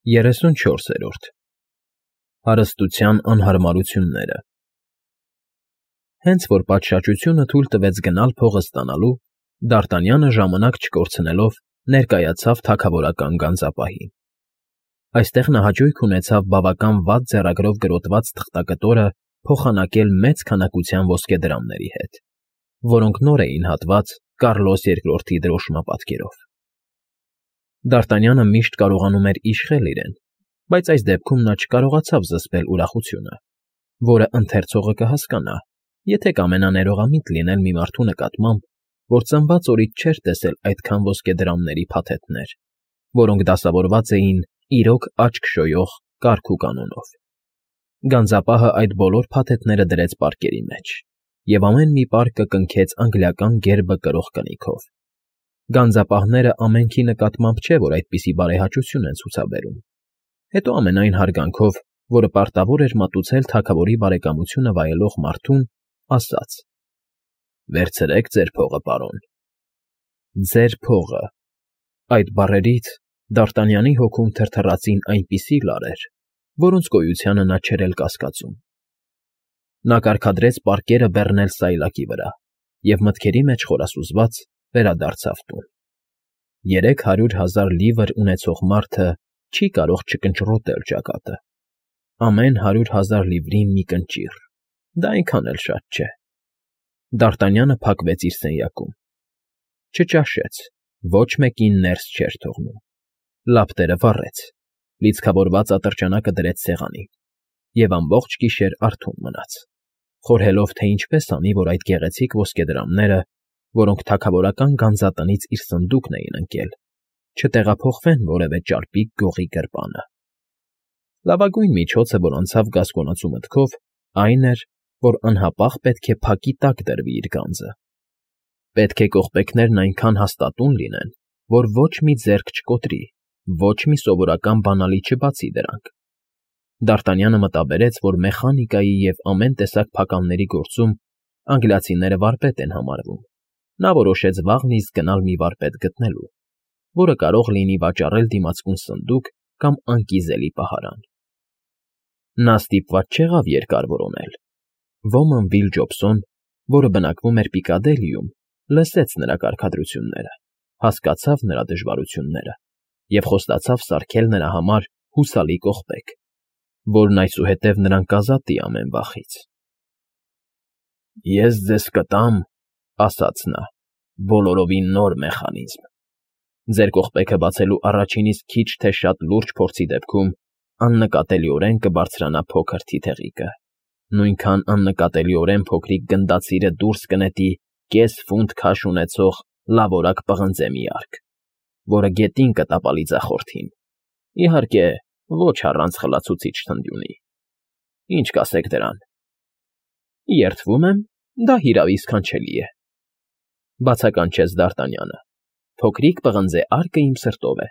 34-րդ Հարստության անհարմարությունները Հենց որ պատշաճությունը թույլ տվեց գնալ փողը ստանալու, Դարտանյանը ժամանակ չկորցնելով ներկայացավ թագավորական գանձապահին։ Այստեղ նա հաճույք ունեցավ բավական վատ ձեռագրով գրոտված թղթակտորը փոխանակել մեծ քանակության ոսկեդրամների հետ, որոնք նոր էին հատված Կառլոս II դրոշմապատկերով։ Դարտանյանը միշտ կարողանում էր իշխել իրեն, բայց այս դեպքում նա չկարողացավ զսպել ուրախությունը, որը ընթերցողը կհասկանա, եթե կամենա ներողամիտ լինել մի մարդու նկատմամբ, որ ծնված օրից չէր տեսել այդքան ոսկեդրամների փաթեթներ, որոնք դասավորված էին իրոք աչք շոյող կարգ ու կանոնով։ Գանձապահը այդ բոլոր փաթեթները դրեց պարկերի մեջ, և ամեն մի պարկը կնքեց անգլիական գերբը կրող կնիքով։ Գանձապահները ամենքի նկատմամբ չէ, որ այդպիսի բարեհաճություն են ցուցաբերում, հետո ամենայն հարգանքով, որը պարտավոր էր մատուցել թագավորի բարեկամությունը վայելող մարդուն, ասաց. «Վերցրեք ձեր փողը, պարոն»։ «Ձեր փողը»։ Այդ բառերից Դարտանյանի հոգում թրթռացին այնպիսի լարեր, որոնց գոյությանը նա չէր էլ կասկածում։ Նա կարգադրեց պարկերը բեռնել սայլակի վրա և մտքերի մեջ խորասուզված վերադարձավ տուն։ 300,000 լիվր ունեցող մարդը չի կարող չկնճռոտել ճակատը։ Ամեն 100,000 լիվրին մի կնճիռ, դա այնքան էլ շատ չէ։ Դարտանյանը փակվեց իր սենյակում։ Չճաշեց, ոչ մեկին ներս չէր թողնում։ Լապտերը վառեց, լիցքավորված ատրճանակը դրեց սեղանին և ամբողջ գիշեր արթուն մնաց, խորհելով, թե ինչպես անի, որ այդ գեղեցիկ ոսկեդրամները, որոնք թագավորական գանձատնից իր սնդուկն էին ընկել, չտեղափոխվեն որևէ ճարպիկ գողի գրպանը։ Լավագույն միջոցը, որ անցավ գասկոնացու մտքով, այն էր, որ անհապաղ պետք է փակի տակ դրվի իր գանձը։ Պետք է կողպեքներն այնքան հաստատուն լինեն, որ ոչ մի ձեռք չկոտրի, ոչ մի սովորական բանալի չբացի դրանք։ Դարտանյանը մտաբերեց, որ մեխանիկայի և ամեն տեսակ փականների գործում անգլիացիները վարպետ են համարվում։ Նա որոշեց վաղն իսկ գնալ մի վարպետ գտնելու, որը կարող լինի վաճառել դիմացկուն սնդուկ կամ անկիզելի պահարան։ Նա ստիպված չեղավ երկար որոնել։ Ոմն Վիլ Ջոբսոն, որը բնակվում էր Պիկադիլիում, լսեց նրա կարգադրությունները, հասկացավ նրա դժվարությունները և խոստացավ սարքել նրա համար հուսալի կողպեք, որն այսուհետև նրան կազատի ամեն վախից։ «Ես ձեզ կտամ,» ասաց նա, «բոլորովին նոր մեխանիզմ։ Ձեր կողպեքը բացելու առաջին իսկ քիչ թե շատ լուրջ փորձի դեպքում աննկատելիորեն կբարձրանա փոքր թիթեղիկը, նույնքան աննկատելիորեն փոքրիկ գնդացիրը դուրս կնետի կես ֆունտ քաշ ունեցող լավորակ պղնձե մի արկ, որը գետին կտապալի ձախորդին, իհարկե, ոչ առանց խլացուցիչ թնդյունի։ Ինչ կասեք դրան»։ «Երդվում եմ, դա հիրավի սքանչելի է», բացականչեց Դարտանյանը։ «Փոքրիկ պղնձեարկը իմ սրտով է»։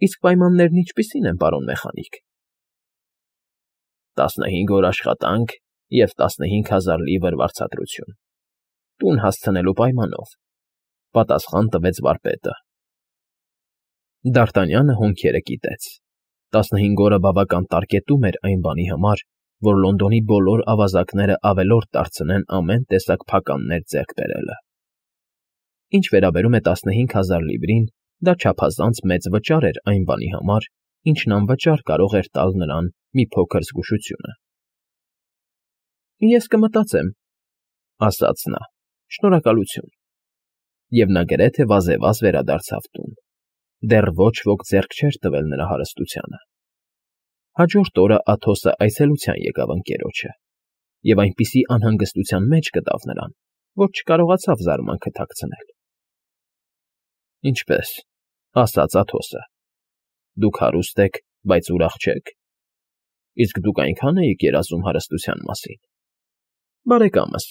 «Իսկ պայմաններն ինչպիսի՞ն են, պարոն մեխանիկ»։ 15 օր աշխատանք և 15,000 լիվր վարձատրություն, տուն հասցնելու պայմանով, պատասխան տվեց վարպետը։ Դարտանյանը հոնքերը կիտեց։ 15 օրը բավական տարկետում էր այն բանի համար, որ Լոնդոնի բոլոր ավազակները ավելորդ դարձնեն ամեն տեսակ փականներ ձեռք բերելը։ Ինչ վերաբերում է 15,000 լիվրին, դա չափազանց մեծ վճար էր այն բանի համար, ինչն անվճար կարող էր տալ նրան մի փոքր զգուշությունը։ «Ես կմտածեմ», ասաց նա, «շնորհակալություն»։ Եվ նա գրեթե վազևազ վերադարձավ տուն։ Դեռ ոչ ոք ձեռք չէր տվել նրա հարստությանը։ Հաջորդ օրը Աթոսը այցելության եկավ ընկերոջը և այնպիսի անհանգստության մեջ գտավ նրան, որ չկարողացավ զարմանքը թաքցնել։ «Ինչպե՞ս», ասաց Աթոսը, «դուք հարուստ եք, բայց ուրախ չեք։ Իսկ դուք այնքա՞ն էիք երազում հարստության մասին»։ «Բարեկամս,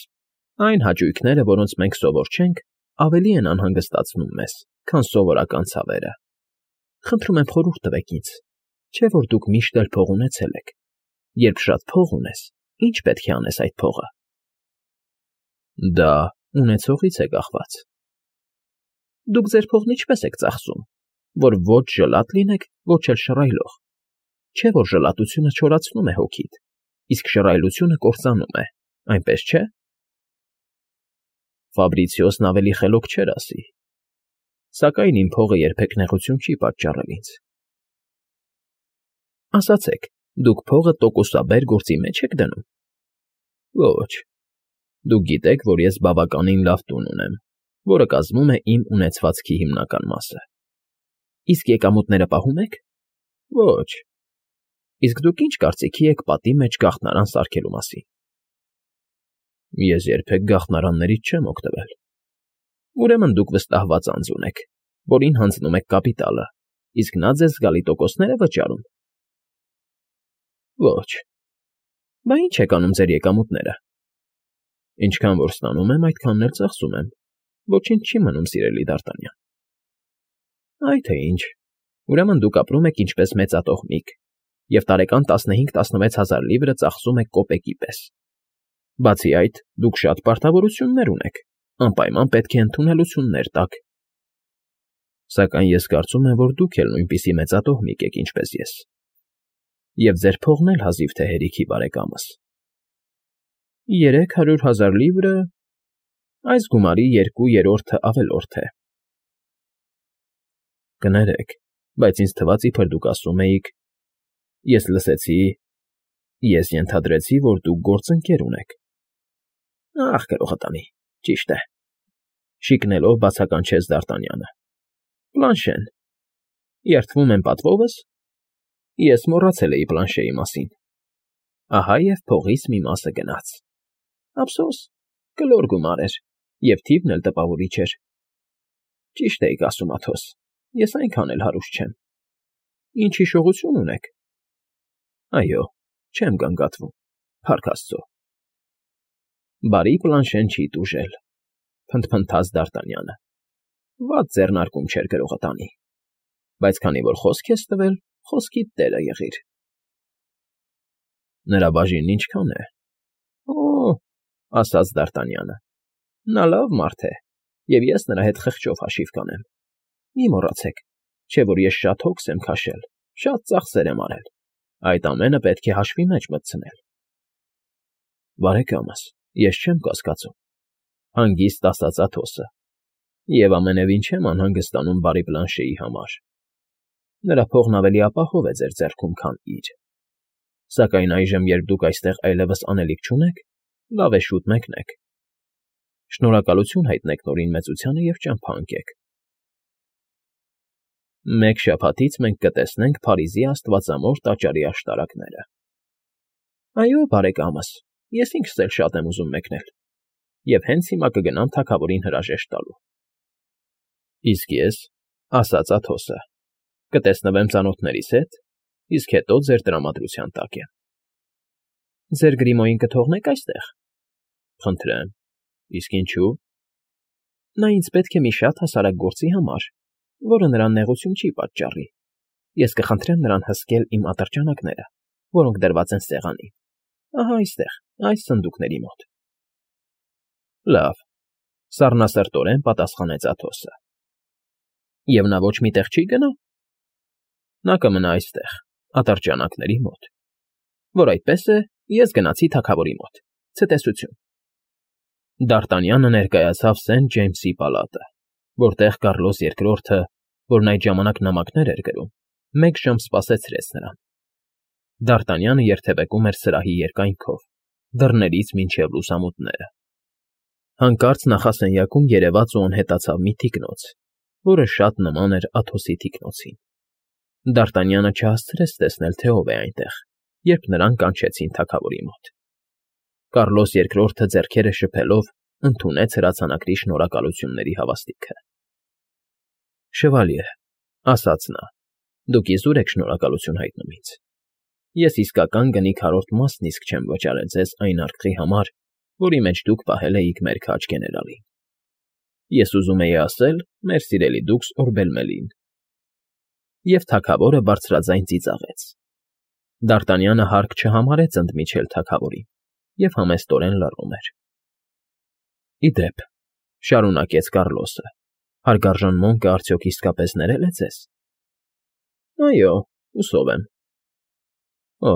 այն հաճույքները, որոնց մենք սովոր չենք, ավելի են անհանգստացնում մեզ, քան սովորական ցավերը։ Խնդրում եմ խորհուրդ տվեք ինձ, չէ՞ որ դուք միշտ էլ փող ունեցել եք։ Երբ շատ փող ունես, ի՞նչ պետք է անես այդ փողը»։ «Դա ունեցողից է կախված»։ «Դուք ձեր փողն ինչպե՞ս եք ծախսում»։ որ ոչ ժլատ լինեք, ոչ էլ շռայլող, չէ՞ որ ժլատությունը չորացնում է հոգիդ, իսկ շռայլությունը կործանում է, այնպես չէ՞։ Ֆաբրիցիոսն ավելի խելոք չէր ասի, սակայն իմ փողը երբեք նեղություն չի պատճառել ինձ։ Ասացեք, դուք փողը տոկոսաբեր գործի մեջ եք դնում։ Ոչ, դուք գիտեք, որ ես բավականին լավ տուն ունեմ, որը կազմում է իմ ունեցվածքի հիմնական մասը։ Իսկ եկամուտները պահում եք։ Ոչ։ Իսկ դուք ինչ կարծիքի եք պատի մեջ գաղտնարան սարքելու մասին։ Ես երբեք գաղտնարաններից չեմ օգտվել։ Ուրեմն դուք վստահված անձ ունեք, որին հանձնում եք կապիտալը, իսկ նա ձեզ զգալի տոկոսներ է վճարում։ Ոչ։ Բա ինչ եք անում ձեր եկամուտները։ Ինչքան որ ստանում եմ, այդքանն էլ ծախսում եմ։ Ոչինչ չի մնում, սիրելի Դարտանյան։ Այ թե ինչ։ Ուրեմն դուք ապրում եք ինչպես մեծատոհմիկ և տարեկան 15-16 հազար լիվրը ծախսում եք կոպեկի պես։ Բացի այդ, դուք շատ պարտավորություններ ունեք, անպայման պետք է ընդունելություններ տաք։ Սակայն ես կարծում եմ, որ դուք էլ նույնպիսի մեծատոհմիկ եք, ինչպես ես։ Եվ ձեր փողն էլ հազիվ թե հերիքի բարեկամս։ 300,000 լիվրը այս գումարի 2/3-ը ավելորդ է։ Կներեք, բայց ինձ թվաց, իբր դուք ասում էիք, ես լսեցի, ես ենթադրեցի, որ դուք գործընկեր ունեք։ Ախ, գրողատանի, ճիշտ է, շիկնելով բացականչեց Դարտանյանը։ Պլանշեն, երդվում եմ պատվովս, ես մոռացել էի Պլանշեի մասին։ Ահա և փողից մի մասը գնաց։ Ափսոս, կլոր գումար էր, և թիվն էլ տպավորիչ էր։ Ճիշտ էիք ասում, Աթոս, ես այնքան էլ հարուստ չեմ։ Ինչ հիշողություն ունեք։ Այո, չեմ գանգատվում, փառք Աստծո։ Բարի Պլանշեն չի տուժել, փնթփնթաց Դարտանյանը։ Վատ ձեռնարկում չէր գրողատանի, բայց քանի որ խոսք ես տվել, խոսքիդ տերը եղիր։ Նրա բաժինն ինչքան է։ Օ, ասաց Դարտանյանը, նա լավ մարդ է, և ես նրա հետ խղճով հաշիվ կանեմ։ Մի մոռացեք, չէ որ ես շատ հոգս եմ քաշել, շատ ծախսեր եմ արել, այդ ամենը պետք է հաշվի մեջ մտցնել։ Բարեկամս, ես չեմ կասկածում, հանգիստ ասաց Աթոսը, և ամենևին չեմ անհանգստանում բարի Պլանշեի համար։ Նրա փողն ավելի ապահով է ձեր ձեռքում, քան իր։ Սակայն այժմ, երբ դուք այստեղ այլևս անելիք չունեք, լավ է շուտ մեկնեք։ Շնորհակալություն հայտնեք Նորին մեծությանը և ճամփա ընկեք։ Մեկ շաբաթից մենք կտեսնենք Փարիզի Աստվածամոր տաճարի աշտարակները։ Այո, բարեկամս, ես ինքս էլ շատ եմ ուզում մեկնել, և հենց հիմա կգնամ թագավորին հրաժեշտ տալու։ Իսկ ես, ասաց Աթոսը, կտեսնվեմ ծանոթներիս հետ, իսկ հետո ձեր տրամադրության տակ եմ։ Ձեր գրիմոյին կթողնեք այստեղ։ Խնդրեմ, իսկ ինչու։ Նա ինձ պետք է մի շատ հասարակ գործի համար, որը նրան նեղություն չի պատճառի։ Ես կխնդրեմ նրան հսկել իմ ատրճանակները, որոնք դրված են սեղանին։ Ահա այստեղ, այս սնդուկների մոտ։ Լավ, սառնասրտորեն պատասխանեց Աթոսը։ Եվ նա ոչ մի տեղ չի գնա։ Նա կմնա այստեղ, ատրճանակների մոտ։ Որ այդպես է, ես գնացի թագավորի մոտ։ Ցտեսություն։ Դարտանյանը ներկայացավ Սենթ Ջեյմսի պալատը, որտեղ Կառլոս II-ը, որն այդ ժամանակ նամակներ էր գրում, 1 ժամ սպասեցրեց նրան։ Դարտանյանը երթևեկում էր սրահի երկայնքով, դռներից մինչև լուսամուտները։ Հանկարծ նախասենյակում երևաց ու անհետացավ մի թիկնոց, որը շատ նման էր Աթոսի թիկնոցին։ Դարտանյանը չհասցրեց տեսնել, թե ով է այնտեղ, երբ նրան կանչեցին թագավորի մոտ։ Կառլոս II-ը ձեռքերը շփելով ընդունեց հրացանակրի շնորհակալությունների հավաստիքը։ Շվալյե, ասաց նա, դուք իզուր եք շնորհակալություն հայտնում ինձ։ Ես իսկական գնի քառորդ մասն իսկ չեմ վճարել ձեզ այն արկղի համար, որի մեջ դուք պահել էիք մեր քաջ գեներալին։ Ես ուզում էի ասել, մեր սիրելի դուքս Օրբելմելին։ Եվ թագավորը բարձրաձայն ծիծաղեց։ Դարտանյանը հարկ չհամարեց ընդմիջել թագավորին և համեստորեն լռում էր։ Ի դեպ, շարունակեց Կառլոսը, հարգարժան Մոնկը արդյոք իսկապես ներել է ձեզ։ Այո, հուսով եմ։ Օ,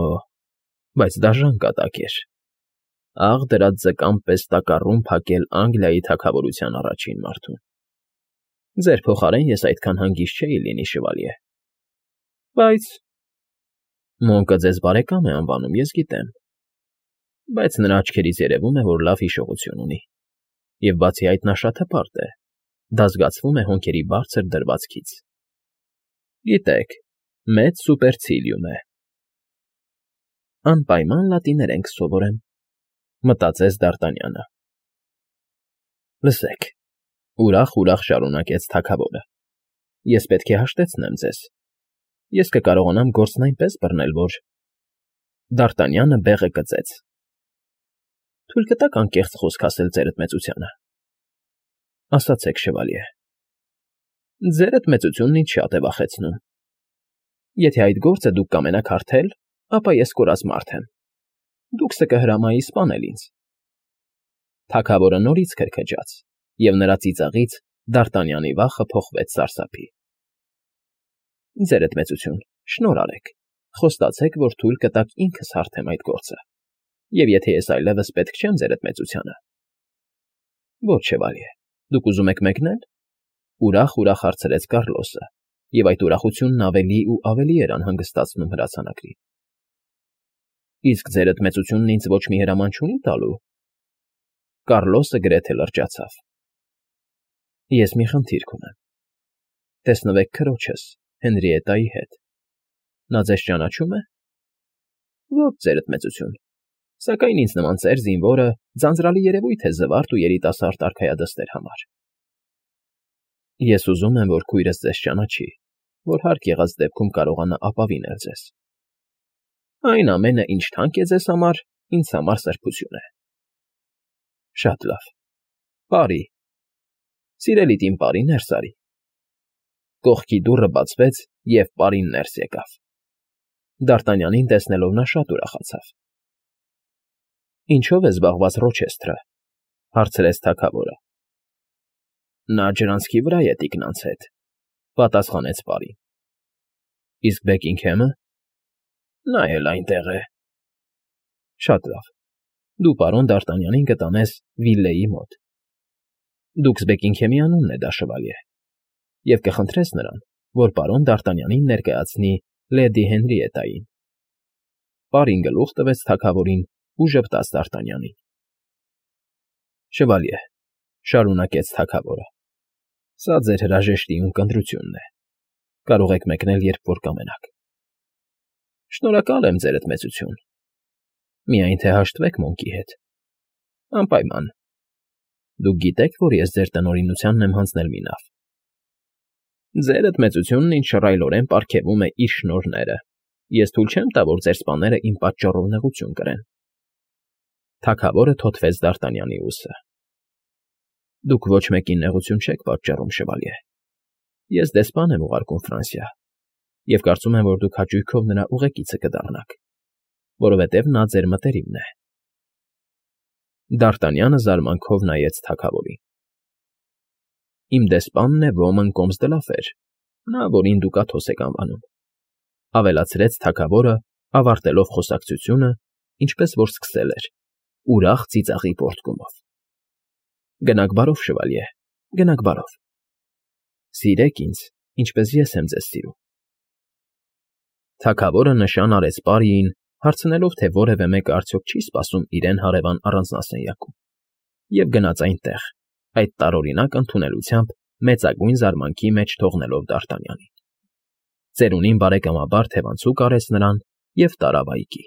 բայց դաժան կատակ էր։ Աղ դրած ձկան պես տակառում փակել Անգլիայի թագավորության առաջին մարդուն։ Ձեր փոխարեն ես այդքան հանգիստ չէի լինի, շվալյե։ Բայց Մոնկը ձեզ բարեկամ է անվանում, ես գիտեմ, բայց նրա աչքերից երևում է, որ լավ հիշողություն ունի, և բացի այդ նա շատ հպարտ է, դա զգացվում է հոնքերի բարձր դրվածքից։ Գիտեք, մեծ սուպերցիլիում է։ Անպայման լատիներեն կսովորեմ, մտածեց Դ'Արտանյանը։ Լսեք, ուրախ շարունակեց թագավորը, ես պետք է հաշտեցնեմ ձեզ։ Ես կկարողանամ գործն այնպես բռնել, որ… Դ'Արտանյանը բեղը կծեց։ Թույլ կտաք անկեղծ խոսք ասել ձերդ մեծությանը։ Ասացեք, շվալյե։ Ձերդ մեծությունն ինձ շատ է վախեցնում։ Եթե այդ գործը դուք կամենաք հարթել, ապա ես կորած մարդ եմ։ Դուք կհրամայի սպանել ինձ։ Թագավորը նորից քրքջաց, և նրա ծիծաղից Դ'Արտանյանի վախը փոխվեց սարսափի։ Ձերդ մեծություն, շնորհ արեք, խոստացեք, որ թույլ կտաք ինքս հարթեմ այդ գործը, և եթե ես այլևս պետք չեմ ձերդ մեծությանը… Ոչ, շվալյե, դուք ուզում եք մեկնել… Ուրախ հարցրեց Կառլոսը, և այդ ուրախությունն ավելի ու ավելի էր անհանգստացնում հրացանակրին։ Իսկ ձերդ մեծությունն ինձ ոչ մի հրաման չունի տալու… Կառլոսը գրեթե լրջացավ։ Ես մի խնդիր կունեմ… Տեսնվեք քրոջս, Հենրիետայի հետ… Նա ձեզ ճանաչո՞ւմ է։ Ոչ, ձերդ մեծություն, սակայն ինձ նման ծեր զինվորը ձանձրալի երևույթ է զվարթ ու երիտասարդ արքայադստեր համար։ Ես ուզում եմ, որ քույրս ձեզ ճանաչի, որ հարկ եղած դեպքում կարողանա ապավինել ձեզ։ Այն ամենը, ինչ թանկ է ձեզ համար, ինձ համար սրբություն է։ Շատ լավ, բարի, սիրելի իմ պարի, ներս արի։ Կողքի դուռը բացվեց, և պարին ներս եկավ։ Դ'Արտանյանին տեսնելով նա շատ ուրախացավ։ Ինչո՞վ է զբաղված Ռոչեսթրը, հարցրեց թագավորը։ Նա ջրանցքի վրա է տիկնանց հետ, պատասխանեց պարին։ Իսկ Բեքինգհեմը։ Նա էլ այնտեղ է։ Շատ լավ, դու պարոն Դ'Արտանյանին կտանես Վիլլեի մոտ։ Դուքս Բեքինգհեմի անունն է դա, շվալյե, և կխնդրես նրան, որ պարոն Դ'Արտանյանին ներկայացնի լեդի Հենրիետային։ Պարին գլուխ տվեց թագավորին ու ժպտաց Դ'Արտանյանին։ Շվալյե, շարունակեց թագավորը, սա ձեր հրաժեշտի ունկնդրությունն է։ Կարող եք մեկնել, երբ որ կամենաք։ Շնորհակալ եմ, ձերդ մեծություն։ Միայն թե հաշտվեք Մոնկի հետ։ Անպայման։ Դուք գիտեք, որ ես ձեր տնօրինությանն եմ հանձնել մի նավ։ Ձերդ մեծությունն ինձ շռայլորեն պարգևում է իր շնորհները։ Ես թույլ չեմ տա, որ ձեր սպաները իմ պատճառով նեղություն կրեն։ Թագավորը թոթվեց Դ'Արտանյանի ուսը։ Դուք ոչ մեկին նեղություն չեք պատճառում, շվալյե։ Ես դեսպան եմ ուղարկում Ֆրանսիա, և կարծում եմ, որ դուք հաճույքով նրա ուղեկիցը կդառնաք, որովհետև նա ձեր մտերիմն է։ Դ'Արտանյանը զարմանքով նայեց թագավորին։ Իմ դեսպանն է Ոմն Կոմս դը Լաֆեր, նա, որին դուք Աթոս եք անվանում, ավելացրեց թագավորը, ավարտելով խոսակցությունը, ինչպես որ սկսել էր, ուրախ ծիծաղի պոռթկումով։ Գնաք բարով, շվալյե, գնաք բարով։ Սիրեք ինձ, ինչպես ես եմ ձեզ սիրում։ Թագավորը նշան արեց պարիին, հարցնելով, թե որևէ մեկը արդյոք չի սպասում իրեն հարևան առանձնասենյակում, և գնաց այնտեղ, այդ տարօրինակ ընդունելությամբ մեծագույն զարմանքի մեջ թողնելով Դ'Արտանյանին։ Ծերունին բարեկամաբար թևանցուկ արեց նրան և տարավ այգի։